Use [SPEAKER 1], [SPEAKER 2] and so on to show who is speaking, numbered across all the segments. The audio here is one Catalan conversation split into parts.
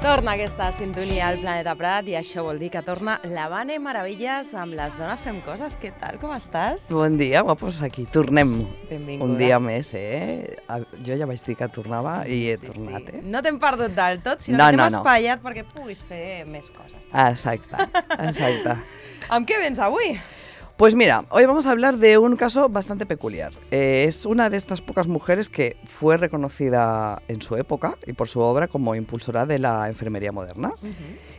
[SPEAKER 1] Torna aquesta sintonia al Planeta Prat i això vol dir que torna la Vane Meravilles amb Les dones fem coses. Què tal, com estàs?
[SPEAKER 2] Bon dia, guapos, aquí tornem.
[SPEAKER 1] Benvinguda.
[SPEAKER 2] Un dia més, Jo ja vaig dir que tornava i he tornat,
[SPEAKER 1] Sí. No t'hem perdut del tot, sinó que t'hem espaiat perquè puguis fer més coses.
[SPEAKER 2] Exacte.
[SPEAKER 1] Amb què vens avui?
[SPEAKER 2] Pues mira, hoy vamos a hablar de un caso bastante peculiar. Es una de estas pocas mujeres que fue reconocida en su época y por su obra como impulsora de la enfermería moderna.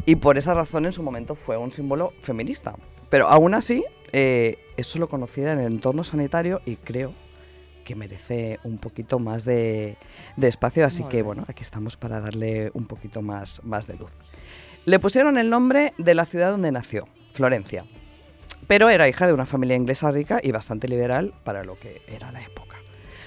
[SPEAKER 2] Y por esa razón en su momento fue un símbolo feminista. Pero aún así es solo conocida en el entorno sanitario y creo que merece un poquito más de espacio. Así que bueno, aquí estamos para darle un poquito más de luz. Le pusieron el nombre de la ciudad donde nació, Florencia. Pero era hija de una familia inglesa rica y bastante liberal para lo que era la época.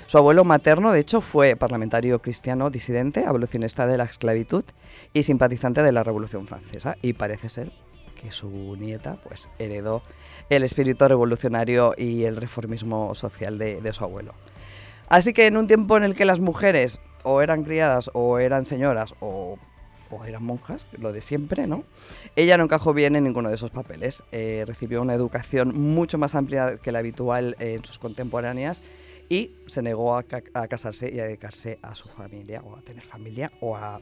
[SPEAKER 2] Su abuelo materno, de hecho, fue parlamentario cristiano disidente, abolicionista de la esclavitud y simpatizante de la Revolución Francesa. Y parece ser que su nieta pues, heredó el espíritu revolucionario y el reformismo social de su abuelo. Así que en un tiempo en el que las mujeres o eran criadas o eran señoras o eran monjas, lo de siempre, ¿no? Ella no encajó bien en ninguno de esos papeles. Recibió una educación mucho más amplia que la habitual en sus contemporáneas y se negó a casarse y a dedicarse a su familia o a tener familia o a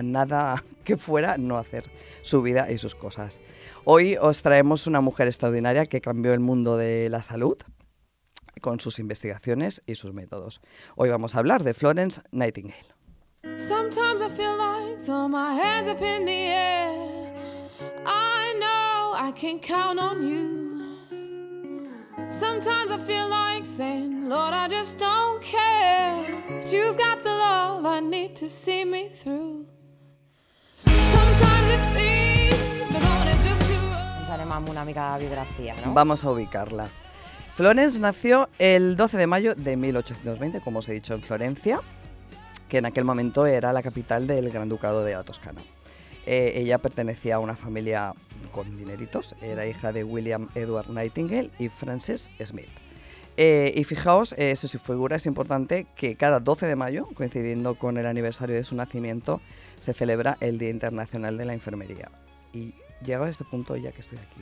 [SPEAKER 2] nada que fuera no hacer su vida y sus cosas. Hoy os traemos una mujer extraordinaria que cambió el mundo de la salud con sus investigaciones y sus métodos. Hoy vamos a hablar de Florence Nightingale.
[SPEAKER 3] Sometimes I feel like throw my hands up in the air. I know I can count on you. Sometimes I feel like saying, Lord, I just don't care. But you've got the love I need to see me through. Sometimes it seems the going is just too rough.
[SPEAKER 1] Ens anem amb una mica de biografia, no?
[SPEAKER 2] Vamos a ubicarla. Florence nació el 12 de mayo de 1820, como os he dicho, en Florencia, que en aquel momento era la capital del Gran Ducado de la Toscana. Ella pertenecía a una familia con dineritos, era hija de William Edward Nightingale y Frances Smith. Y fijaos, su figura es importante que cada 12 de mayo, coincidiendo con el aniversario de su nacimiento, se celebra el Día Internacional de la Enfermería. Y llegado a este punto, ya que estoy aquí,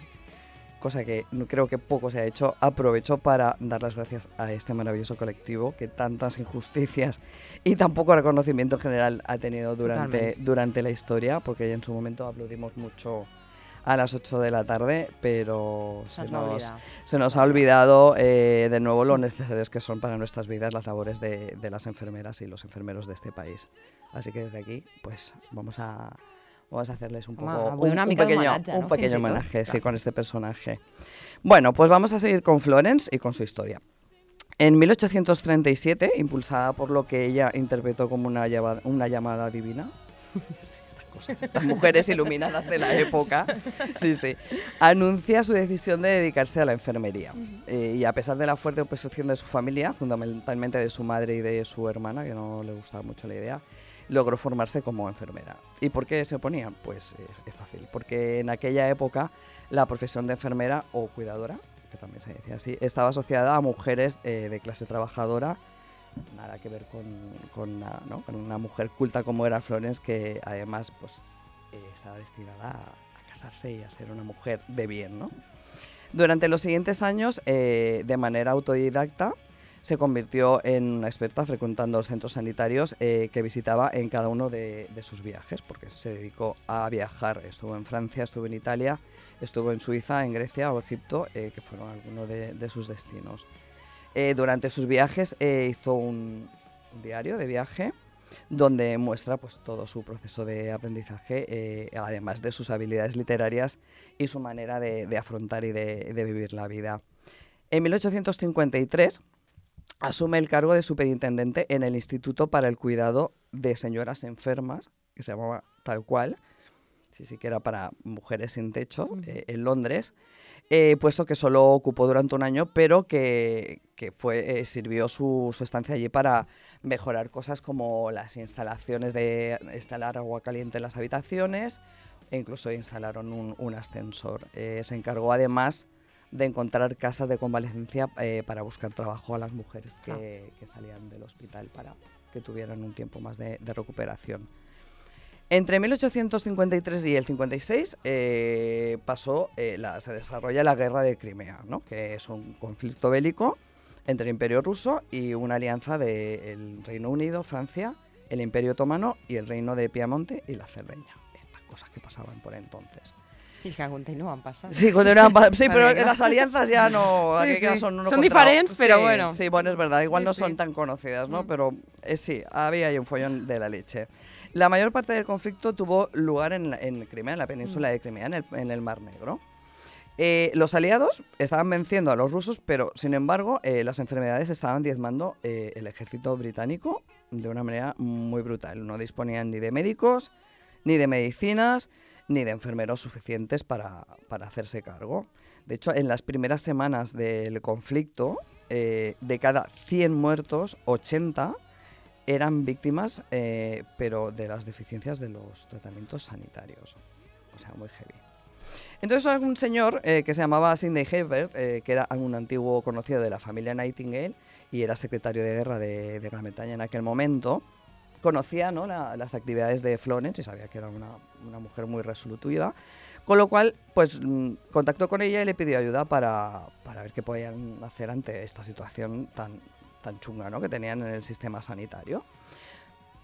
[SPEAKER 2] cosa que creo que poco se ha hecho, aprovecho para dar las gracias a este maravilloso colectivo que tantas injusticias y tan poco reconocimiento general ha tenido durante la historia, porque en su momento aplaudimos mucho a las 8 de la tarde, pero se nos ha olvidado de nuevo lo necesarios que son para nuestras vidas las labores de las enfermeras y los enfermeros de este país. Así que desde aquí, pues vamos a hacerles un pequeño homenaje, sí, con este personaje. Bueno, pues vamos a seguir con Florence y con su historia. En 1837, impulsada por lo que ella interpretó como una llamada divina, estas mujeres iluminadas de la época, anuncia su decisión de dedicarse a la enfermería. Y a pesar de la fuerte oposición de su familia, fundamentalmente de su madre y de su hermana, que no le gustaba mucho la idea, logró formarse como enfermera. ¿Y por qué se oponía? Pues es fácil, porque en aquella época la profesión de enfermera o cuidadora, que también se decía así, estaba asociada a mujeres de clase trabajadora, nada que ver con una mujer culta como era Florence, que además pues, estaba destinada a casarse y a ser una mujer de bien, ¿no? Durante los siguientes años, de manera autodidacta, se convirtió en una experta frecuentando los centros sanitarios que visitaba en cada uno de sus viajes, porque se dedicó a viajar. Estuvo en Francia, estuvo en Italia, estuvo en Suiza, en Grecia o Egipto, que fueron algunos de sus destinos. Durante sus viajes hizo un diario de viaje donde muestra pues, todo su proceso de aprendizaje, además de sus habilidades literarias y su manera de afrontar y de vivir la vida. En 1853 asume el cargo de superintendente en el Instituto para el Cuidado de Señoras Enfermas, que se llamaba tal cual, sí que era para mujeres sin techo, en Londres. puesto que solo ocupó durante un año, pero que sirvió su estancia allí para mejorar cosas como las instalaciones de instalar agua caliente en las habitaciones, e incluso instalaron un ascensor. Se encargó además de encontrar casas de convalecencia para buscar trabajo a las mujeres que salían del hospital para que tuvieran un tiempo más de recuperación. Entre 1853 y el 56 se desarrolla la Guerra de Crimea, ¿no? Que es un conflicto bélico entre el Imperio Ruso y una alianza del Reino Unido, Francia, el Imperio Otomano y el Reino de Piamonte y la Cerdeña. Estas cosas que pasaban por entonces.
[SPEAKER 1] I que continuen passant.
[SPEAKER 2] Sí, pero las alianzas ya no...
[SPEAKER 1] Sí.
[SPEAKER 2] Son
[SPEAKER 1] diferentes, pero bueno.
[SPEAKER 2] Sí, bueno, es verdad, igual no son tan conocidas, ¿no? Pero sí, había ahí un follón de la leche. La mayor parte del conflicto tuvo lugar en Crimea, en la península de Crimea, en el Mar Negro. Los aliados estaban venciendo a los rusos, pero sin embargo las enfermedades estaban diezmando el ejército británico de una manera muy brutal. No disponían ni de médicos, ni de medicinas, ni de enfermeros suficientes para hacerse cargo. De hecho, en las primeras semanas del conflicto, de cada 100 muertos, 80 eran víctimas, pero de las deficiencias de los tratamientos sanitarios. O sea, muy heavy. Entonces hay un señor que se llamaba Sidney Herbert, que era un antiguo conocido de la familia Nightingale y era secretario de guerra de Gran Bretaña en aquel momento. Conocía, ¿no?, las actividades de Florence y sabía que era una mujer muy resolutiva, con lo cual pues contactó con ella y le pidió ayuda para ver qué podían hacer ante esta situación tan chunga, ¿no?, que tenían en el sistema sanitario.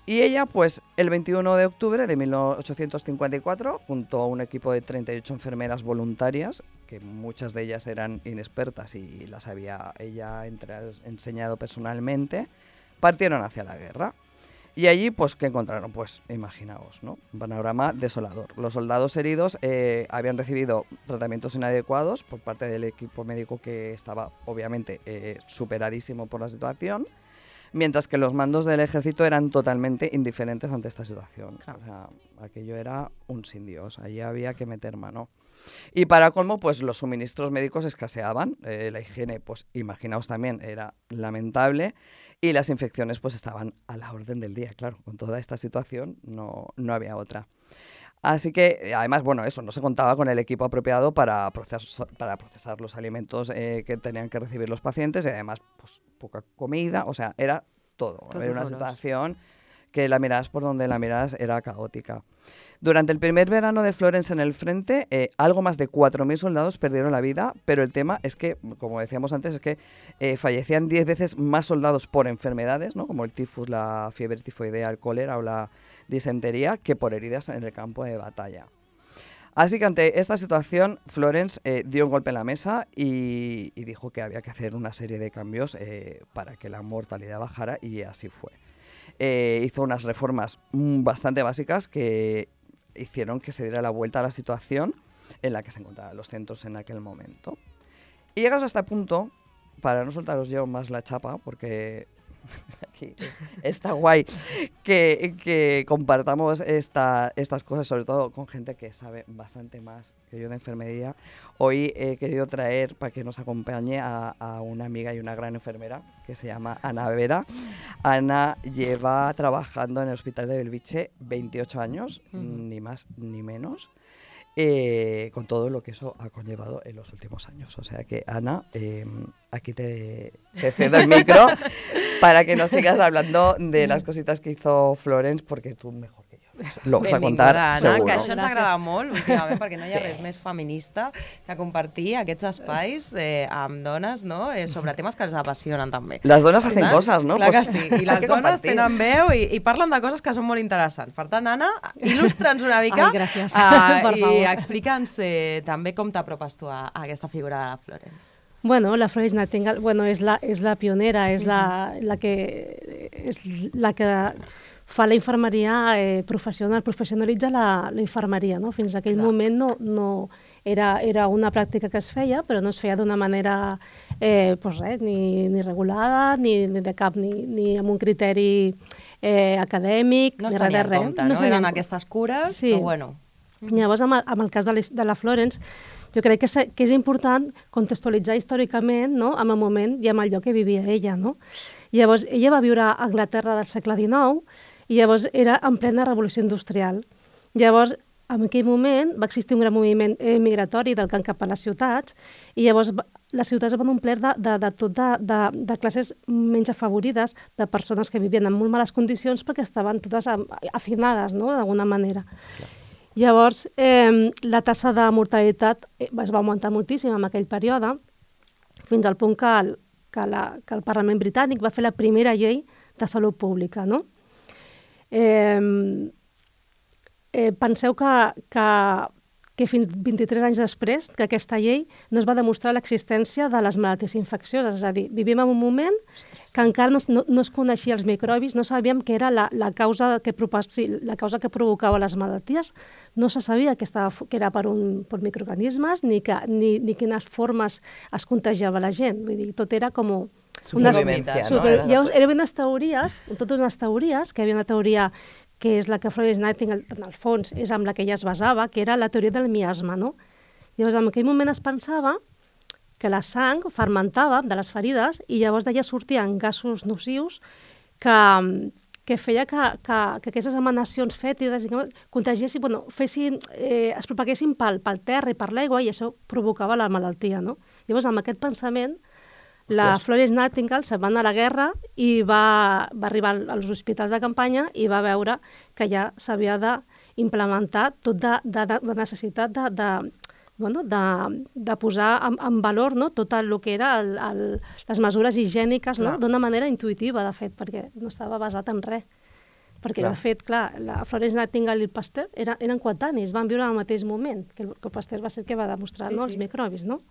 [SPEAKER 2] Y ella, pues, el 21 de octubre de 1854, junto a un equipo de 38 enfermeras voluntarias, que muchas de ellas eran inexpertas y las había ella enseñado personalmente, partieron hacia la guerra. Y allí, pues, ¿qué encontraron? Pues, imaginaos, ¿no? Un panorama desolador. Los soldados heridos habían recibido tratamientos inadecuados por parte del equipo médico que estaba, obviamente, superadísimo por la situación, mientras que los mandos del ejército eran totalmente indiferentes ante esta situación. Claro. O sea, aquello era un sin Dios, allí había que meter mano. Y para colmo, pues los suministros médicos escaseaban, la higiene, pues imaginaos también, era lamentable, y las infecciones pues estaban a la orden del día, claro, con toda esta situación no había otra. Así que, además, bueno, eso, no se contaba con el equipo apropiado para procesar los alimentos que tenían que recibir los pacientes y además, pues, poca comida, o sea, era todo. Era una situación que la miradas por donde la miradas era caótica. Durante el primer verano de Florence en el frente, algo más de 4.000 soldados perdieron la vida, pero el tema es que, como decíamos antes, es que fallecían 10 veces más soldados por enfermedades, ¿no?, como el tifus, la fiebre tifoidea, el cólera o la disentería, que por heridas en el campo de batalla. Así que ante esta situación, Florence dio un golpe en la mesa y dijo que había que hacer una serie de cambios para que la mortalidad bajara, y así fue. Hizo unas reformas bastante básicas que hicieron que se diera la vuelta a la situación en la que se encontraban los centros en aquel momento. Y llegados a este punto, para no soltaros yo más la chapa, porque aquí está guay que compartamos estas cosas, sobre todo con gente que sabe bastante más que yo de enfermería. Hoy he querido traer para que nos acompañe a una amiga y una gran enfermera que se llama Ana Vera. Ana lleva trabajando en el Hospital de Belviche 28 años, ni más ni menos, con todo lo que eso ha conllevado en los últimos años. O sea que, Ana, aquí te cedo el micro para que nos sigas hablando de las cositas que hizo Florence, porque tú mejor que yo lo vas a contar,
[SPEAKER 1] Anna,
[SPEAKER 2] seguro.
[SPEAKER 1] que això ens agrada molt últimament, perquè no hi ha res més feminista que compartir aquests espais amb dones, no?, sobre temes que ens apassionen també.
[SPEAKER 2] Les dones hacen coses, no?
[SPEAKER 1] Clar que sí, i les dones tenen veu i parlen de coses que són molt interessants. Per tant, Anna, il·lustra'ns una mica.
[SPEAKER 4] Ai, gràcies, per favor.
[SPEAKER 1] I explica'ns també com t'apropes tu a aquesta figura de la Florence.
[SPEAKER 4] Bueno, la Florence Nightingale, bueno, és la pionera, és la que fa la infermeria professional, professionalitza la infermeria, no? Fins a aquell moment no era una pràctica que es feia, però no es feia d'una manera ni regulada, ni de cap, ni amb un criteri acadèmic,
[SPEAKER 1] no es tenia en compte, no? Eren aquestes cures, però bueno.
[SPEAKER 4] Llavors, amb el cas de la Florence, jo crec que és important contextualitzar històricament, no?, amb el moment i amb el lloc que vivia ella, no? Llavors, ella va viure a Anglaterra del segle XIX i llavors era en plena revolució industrial. Llavors, en aquell moment va existir un gran moviment migratori del camp cap a les ciutats i llavors les ciutats van omplir de classes menys afavorides, de persones que vivien en molt males condicions perquè estaven totes hacinades, no?, d'alguna manera. Clar. Llavors, la tassa de mortalitat es va augmentar moltíssim en aquell període, fins al punt que el Parlament britànic va fer la primera llei de salut pública, no? Penseu que fins 23 anys després que aquesta llei no es va demostrar l'existència de les malalties infeccioses. És a dir, vivim en un moment que encara no es coneixia els microbis, no sabíem què era la causa que provocava les malalties, no se sabia que era per microorganismes ni quines formes es contagiava la gent. Vull dir, tot era com
[SPEAKER 2] supervivència, no?
[SPEAKER 4] Eren unes teories, totes unes teories, que hi havia una teoria que és la que Florence Nightingale, en el fons, és amb la que ella es basava, que era la teoria del miasma, no? Llavors, en aquell moment es pensava que la sang fermentava de les ferides i llavors d'allà sortien gasos nocius que feia que aquestes emanacions fètides contagiessin, es propaguessin pel terra i per l'aigua i això provocava la malaltia, no? Llavors, amb aquest pensament, la Florence Nightingale se'n va anar a la guerra i va arribar als hospitals de campanya i va veure que ja s'havia d'implementar tot de necessitat de posar en valor, no?, tot el que era les mesures higièniques, no?, d'una manera intuïtiva, de fet, perquè no estava basat en res. Perquè, de fet, clar, la Florence Nightingale i el Pasteur eren coetanis, van viure al mateix moment, que el Pasteur va ser el que va demostrar els microbis, no?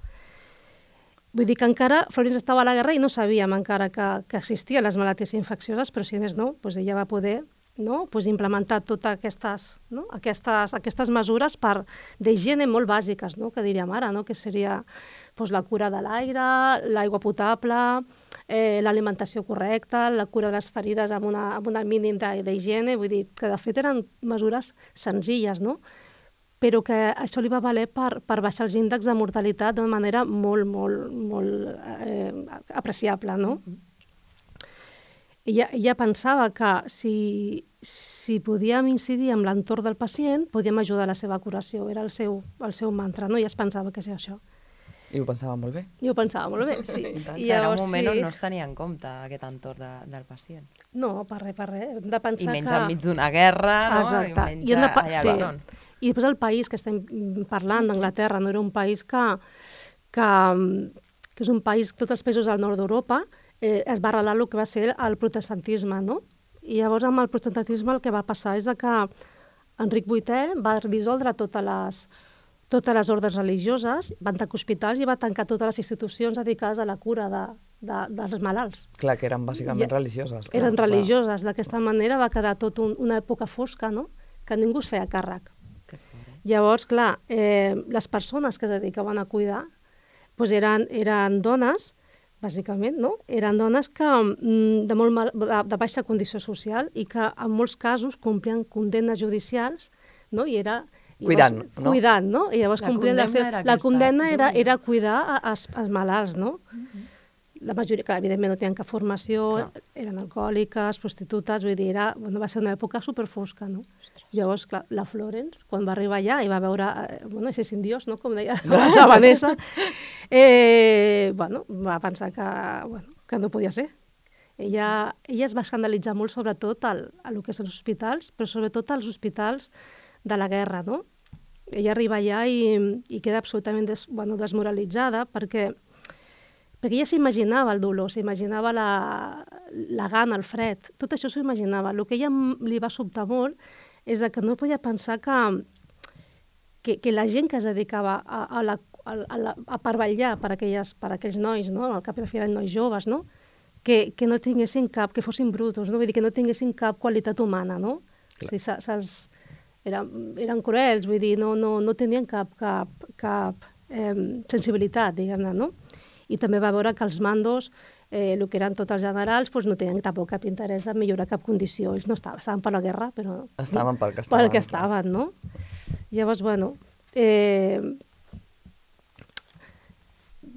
[SPEAKER 4] Vull dir que encara Florence estava a la guerra i no sabíem encara que existien les malalties infeccioses, però si més no, ella va poder implementar totes aquestes mesures d'higiene molt bàsiques, que diríem ara, que seria la cura de l'aire, l'aigua potable, l'alimentació correcta, la cura de les ferides amb un mínim d'higiene, vull dir que de fet eren mesures senzilles, no?, però que això li va valer per baixar els índexs de mortalitat d'una manera molt, molt, molt apreciable, no? Ella pensava que si podíem incidir en l'entorn del pacient, podíem ajudar a la seva curació, era el seu mantra, no? I es pensava que era això.
[SPEAKER 2] I ho pensava molt bé.
[SPEAKER 4] I ho pensava molt bé, sí.
[SPEAKER 1] Era un moment on no es tenia en compte aquest entorn del pacient.
[SPEAKER 4] No, per res. Hem de pensar
[SPEAKER 1] I menys enmig d'una guerra, no?
[SPEAKER 4] Exacte.
[SPEAKER 1] I menys allà al front.
[SPEAKER 4] I després el país que estem parlant, d'Anglaterra, no era un país que és un país, tots els països del nord d'Europa, es va arrelar el que va ser el protestantisme, no? I llavors amb el protestantisme el que va passar és que Enric VIII va dissoldre totes les ordres religioses, van tancar hospitals i va tancar totes les institucions dedicades a la cura dels malalts.
[SPEAKER 2] Clar, que eren bàsicament religioses.
[SPEAKER 4] Eren religioses. D'aquesta manera va quedar tot una època fosca, no?, que ningú es feia càrrec. Llavors, clar, les persones que es dedicaven a cuidar eren dones, bàsicament, no? Eren dones que de baixa condició social i que en molts casos complien condemnes judicials, no? I era
[SPEAKER 2] cuidant, no?
[SPEAKER 4] Cuidant, no? I llavors la condemna era cuidar els malalts, no? La majoria, clar, evidentment no tenien cap formació, eren alcohòliques, prostitutes, vull dir, va ser una època superfosca, no? Llavors, clar, la Florence, quan va arribar allà i va veure, ese sin Dios, no?, com deia la Vanessa, va pensar que no podia ser. Ella es va escandalitzar molt, sobretot, a lo que són els hospitals, però sobretot als hospitals de la guerra, no? Ella arriba allà i queda absolutament desmoralitzada perquè ella s'imaginava el dolor, s'imaginava la gana, el fred, tot això s'ho imaginava. El que a ella li va sobtar molt és que no podia pensar que la gent que es dedicava a vetllar per aquells nois, no?, al cap i a la fi eren nois joves, no?, que no tinguessin que fossin brutos, no?, vull dir, que no tinguessin cap qualitat humana, no? O sigui, eren cruels, vull dir, no tenien cap sensibilitat, diguem-ne, no? I també va veure que els mandos, el que eren tots els generals, no tenien tampoc cap interès en millorar cap condició. Ells no estaven per la guerra, però...
[SPEAKER 2] Estaven pel que estaven.
[SPEAKER 4] Pel que estaven, no? Llavors,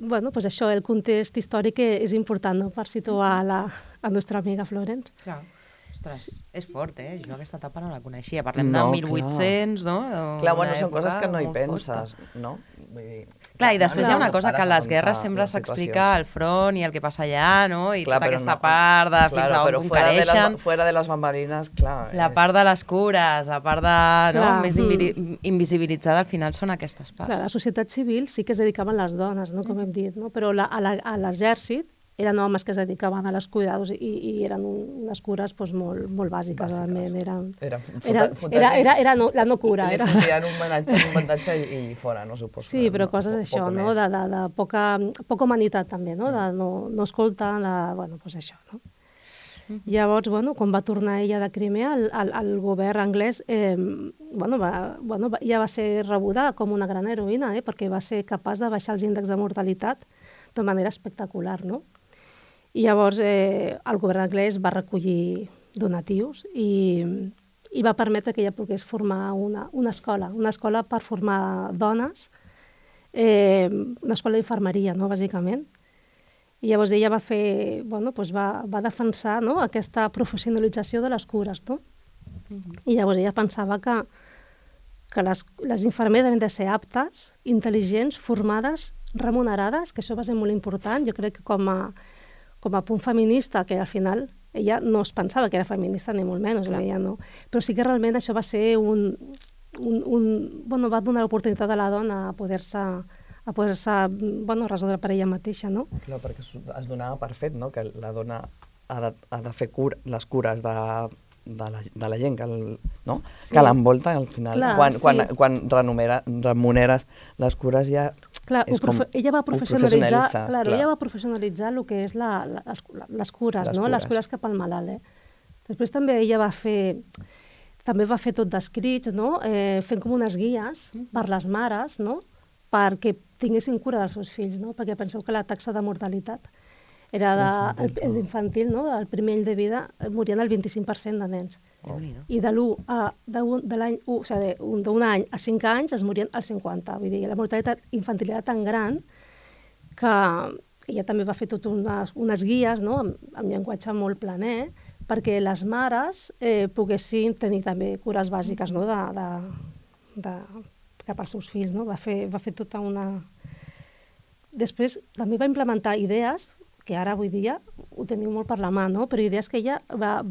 [SPEAKER 4] bueno, pues això, el context històric és important, no?, per situar la nostra amiga Florence.
[SPEAKER 1] Clar. Ostres, és fort, Jo aquesta etapa no la coneixia. Parlem
[SPEAKER 2] No,
[SPEAKER 1] de 1800, no?
[SPEAKER 2] Clar, bueno, són coses que no hi penses, no? Vull dir,
[SPEAKER 1] Clar, i després hi ha una cosa que a les guerres
[SPEAKER 2] les
[SPEAKER 1] sempre s'explica el front i el que passa allà, no? I
[SPEAKER 2] Clar,
[SPEAKER 1] tota
[SPEAKER 2] però
[SPEAKER 1] aquesta
[SPEAKER 2] no-
[SPEAKER 1] part de fins a on
[SPEAKER 2] però
[SPEAKER 1] conquereixen.
[SPEAKER 2] fuera de les bambalines, clar.
[SPEAKER 1] La part de les cures, la part de, no,
[SPEAKER 4] Clar,
[SPEAKER 1] més invisibilitzada, al final són aquestes parts.
[SPEAKER 4] Clar, a la societat civil sí que es dedicaven les dones, no?, com hem dit, no? Però a l'exèrcit eren homes que es dedicaven a les cuidados i eren unes cures doncs, molt bàsiques, realment. Era la no cura.
[SPEAKER 2] Li fotien un bandatge i fora, no suposo.
[SPEAKER 4] Sí, però coses això, no? De poca humanitat també, no? De no escoltar, bueno, doncs això, no? Llavors, bueno, quan va tornar ella de Crimea, el govern anglès ja va ser rebuda com una gran heroïna, perquè va ser capaç de baixar els índexs de mortalitat de manera espectacular, no? I llavors el govern anglès va recollir donatius i va permetre que ella pogués formar una escola per formar dones, una escola d'infermeria, no?, bàsicament. I llavors ella va fer, bueno, doncs va defensar, no?, aquesta professionalització de les cures, no? I llavors ella pensava que les infermeres havien de ser aptes, intel·ligents, formades, remunerades, que això va ser molt important. Jo crec que com a punt feminista, que al final ella no es pensava que era feminista ni molt menys, ella no. Però sí que realment això va ser va donar l'oportunitat a la dona a poder-se resoldre per ella mateixa, no?
[SPEAKER 2] Clar, perquè es donava per fet, no?, que la dona ha de fer les cures de la gent que l'envolta, al final. Clar, quan remuneres les cures ja...
[SPEAKER 4] Clar, ella va professionalitzar el que és les cures, no? Les cures cap al malalt. Després també ella va fer tot d'escrits, no? Fent com unes guies per les mares, no?, perquè tinguessin cura dels seus fills, no? Perquè penseu que la taxa de mortalitat era l'infantil, no? El primer any de vida morien el 25% de nens. I d'un any a 5 anys es morien el 50%. Vull dir, la mortalitat infantil era tan gran que ella també va fer tot unes guies, no?, amb llenguatge molt planer, perquè les mares poguessin tenir també cures bàsiques, no?, cap als seus fills, no? Va fer tota una... Després també va implementar idees que ara avui dia ho teniu molt per la mà, no? Però idees que ella les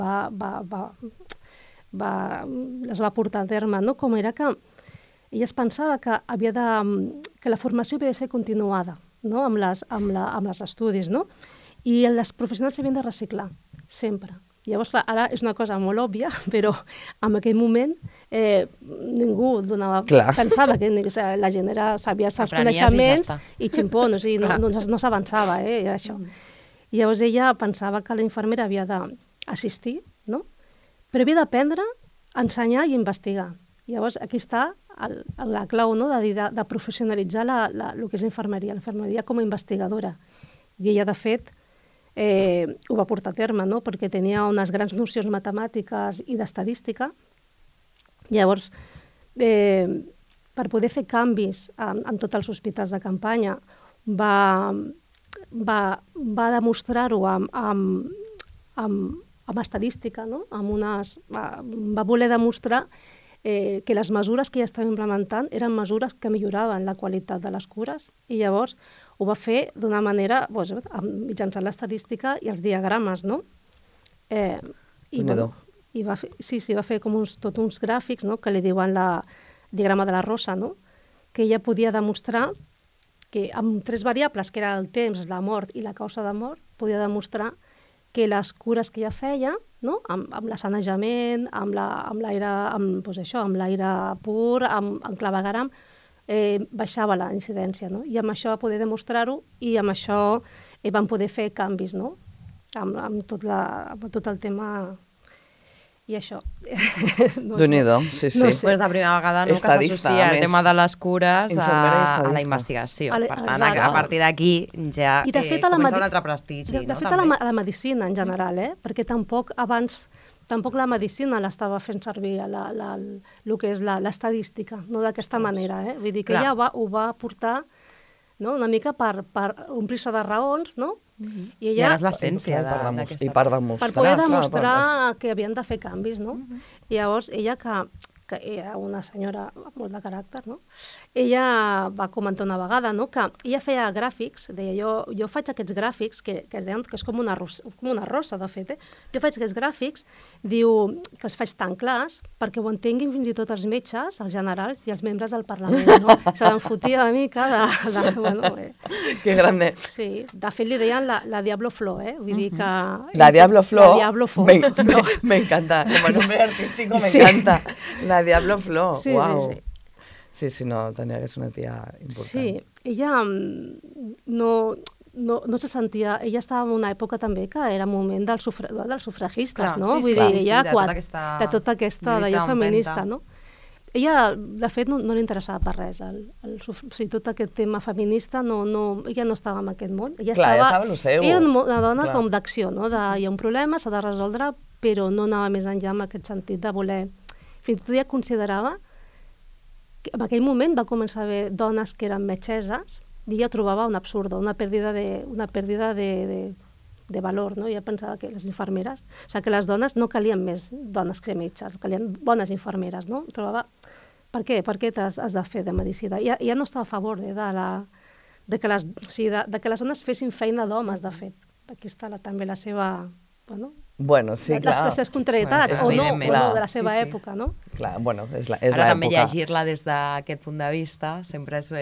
[SPEAKER 4] va portar a terme, no? Com era que ella es pensava que la formació havia de ser continuada, no?, amb les estudis, no? I els professionals s'havien de reciclar, sempre. Llavors, clar, ara és una cosa molt òbvia, però en aquell moment ningú pensava que la gent sabia els coneixements i ximpó, no s'avançava, això. I llavors ella pensava que la infermera havia d'assistir, no?, però havia d'aprendre, ensenyar i investigar. Llavors, aquí està la clau, no?, de professionalitzar el que és l'infermeria com a investigadora. I ella, de fet, ho va portar a terme, no?, perquè tenia unes grans nocions matemàtiques i d'estadística. Llavors, per poder fer canvis en tots els hospitals de campanya, va demostrar-ho amb estadística, no? Va voler demostrar que les mesures que ja estaven implementant eren mesures que milloraven la qualitat de les cures, i llavors ho va fer d'una manera, mitjançant l'estadística i els diagrames, no? Va fer com tots uns gràfics, no?, que li diuen el diagrama de la rosa, no?, que ella podia demostrar que amb 3 variables, que era el temps, la mort i la causa de mort, podia demostrar que les cures que ella feia, no?, amb l'assanejament, amb l'aire pur, amb clavegueram, baixava la incidència, no? I amb això va poder demostrar-ho, i amb això van poder fer canvis, no?, amb tot el tema i això.
[SPEAKER 2] Déu-n'hi-do, sí.
[SPEAKER 1] És la primera vegada que s'associa el tema de les cures a la investigació. Per tant, a partir d'aquí ja comença un altre prestigi.
[SPEAKER 4] De fet, a la medicina en general, perquè tampoc la medicina l'estava fent servir el que és l'estadística, no d'aquesta manera. Vull dir que ella ho va portar no? Una mica per omplir-se de raons, no?
[SPEAKER 1] I ara és l'essència
[SPEAKER 2] d'aquesta... I per demostrar...
[SPEAKER 4] Per poder demostrar que havien de fer canvis, no? I llavors, ella que era una senyora amb molt de caràcter, no? Ella va comentar una vegada, no?, que ella feia gràfics, deia, jo faig aquests gràfics, que es deien que és com una rosa, de fet, jo faig aquests gràfics, diu, que els faig tan clars perquè ho entenguin fins i tot els metges, els generals i els membres del Parlament, no? Se l'enfotia una mica de bueno,
[SPEAKER 2] Que grande.
[SPEAKER 4] Sí, de fet li deien la Diablo Flor, Vull dir que...
[SPEAKER 2] La Diablo Flor.
[SPEAKER 4] La Diablo Flor.
[SPEAKER 2] Me encanta, como nombre artístico me encanta. La Diablo Flor,
[SPEAKER 4] sí,
[SPEAKER 2] wow.
[SPEAKER 4] Sí,
[SPEAKER 2] sí, no, tenia que ser una tia important.
[SPEAKER 4] Sí, ella no se sentia... Ella estava en una època també que era moment dels sufragistes, no? Vull dir, ella de tota aquesta d'allò feminista, no? Ella, de fet, no li interessava per res. Tot aquest tema feminista, ella no estava en aquest món.
[SPEAKER 2] Ella estava en el seu.
[SPEAKER 4] Era una dona com d'acció, no? Hi ha un problema, s'ha de resoldre, però no anava més enllà en aquest sentit de voler... Fins i tot ella considerava que en aquell moment va començar a haver dones que eren metgesses i ella trobava un absurd, una pèrdua de valor, no? Ella pensava que les infermeres, o sigui, que les dones no calien més dones que metges, calien bones infermeres, no? Trobava, per què has de fer de medicina? Ella no estava a favor de que les dones fessin feina d'homes, de fet. Aquí està també la seva...
[SPEAKER 2] Bueno, sí, clar.
[SPEAKER 4] Les seves contrarietats, o no, de la seva època, no?
[SPEAKER 2] Clar, bueno, és l'època.
[SPEAKER 1] Ara també llegir-la des d'aquest punt de vista sempre és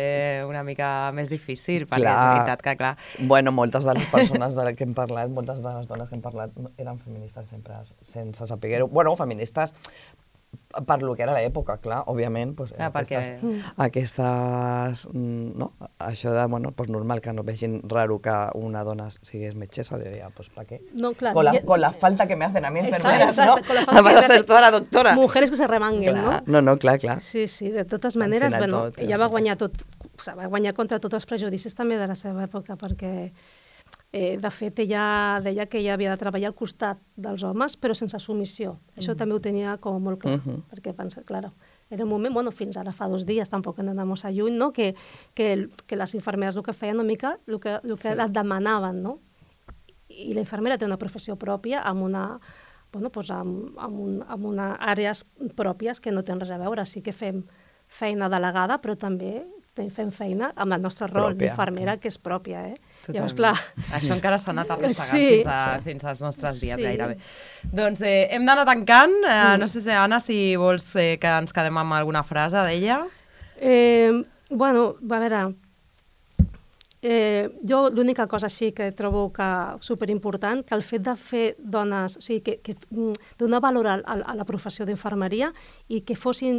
[SPEAKER 1] una mica més difícil, perquè és veritat que, clar...
[SPEAKER 2] Bueno, moltes de les persones que hem parlat, moltes de les dones que hem parlat eren feministes sempre, sense saber-ho. Bueno, feministes per lo que era l'època, clar, òbviament, aquestes, no? Això de, bueno, normal que no vegin raro que una dona sigués metgessa, diria, pues, ¿para qué?
[SPEAKER 4] No, claro.
[SPEAKER 2] Con la falta que me hacen a mí enfermeras, ¿no? Vas a ser toda la doctora.
[SPEAKER 4] Mujeres que se remanguen, ¿no?
[SPEAKER 2] No, clar.
[SPEAKER 4] Sí, de totes maneres, bueno, ella va guanyar contra tots els prejudicis també de la seva època, perquè de fet, ella deia que ella havia de treballar al costat dels homes, però sense submissió. Això també ho tenia com molt clar, perquè pensa, clar, era un moment, bueno, fins ara fa 2 dies, tampoc hem d'anar massa lluny, no? Que les infermeres el que feien una mica, el que et demanaven, no? I la infermera té una professió pròpia amb àrees pròpies que no tenen res a veure. Sí que fem feina delegada, però també fem feina amb el nostre rol d'infermera, que és pròpia, Llavors, clar...
[SPEAKER 1] Això encara s'ha anat arrossegant fins als nostres dies, gairebé. Doncs hem d'anar tancant. No sé, Anna, si vols que ens quedem amb alguna frase d'ella.
[SPEAKER 4] Bueno, a veure... Jo l'única cosa així que trobo que superimportant, que el fet de fer dones, o sigui, que donar valor a la professió d'infermeria i que fossin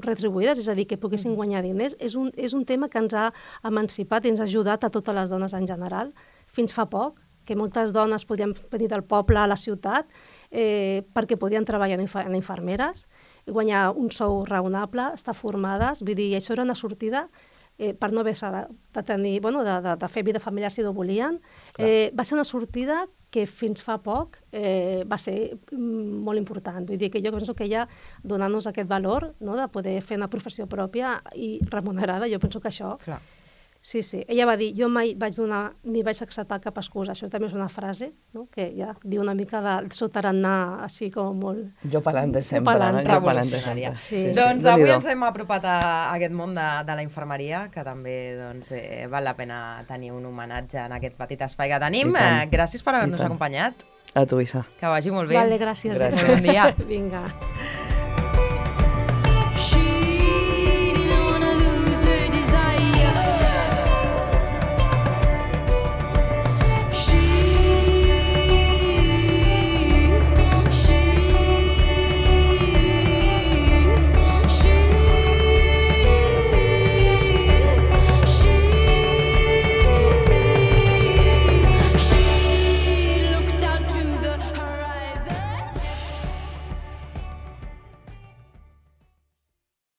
[SPEAKER 4] retribuïdes, és a dir, que poguessin guanyar diners, és un tema que ens ha emancipat i ens ha ajudat a totes les dones en general. Fins fa poc, que moltes dones podien venir del poble a la ciutat perquè podien treballar en infermeres, guanyar un sou raonable, estar formades, vull dir, això era una sortida per no haver-se de tenir, de fer vida familiar si no volien. Va ser una sortida que fins fa poc va ser molt important. Vull dir que jo penso que ella, donant-nos aquest valor, de poder fer una professió pròpia i remunerada, jo penso que això... Sí. Ella va dir, jo mai vaig donar ni vaig acceptar cap excusa. Això també és una frase, que ja diu una mica de sotarannà, així com molt...
[SPEAKER 2] Jo pa'lante sempre,
[SPEAKER 1] revolucionària. Doncs avui ens hem apropat a aquest món de la infermeria, que també val la pena tenir un homenatge en aquest petit espai que tenim. Gràcies per haver-nos acompanyat.
[SPEAKER 2] A tu, Isa.
[SPEAKER 1] Que vagi molt bé.
[SPEAKER 4] Vale, gràcies.
[SPEAKER 1] Bon dia.
[SPEAKER 4] Vinga.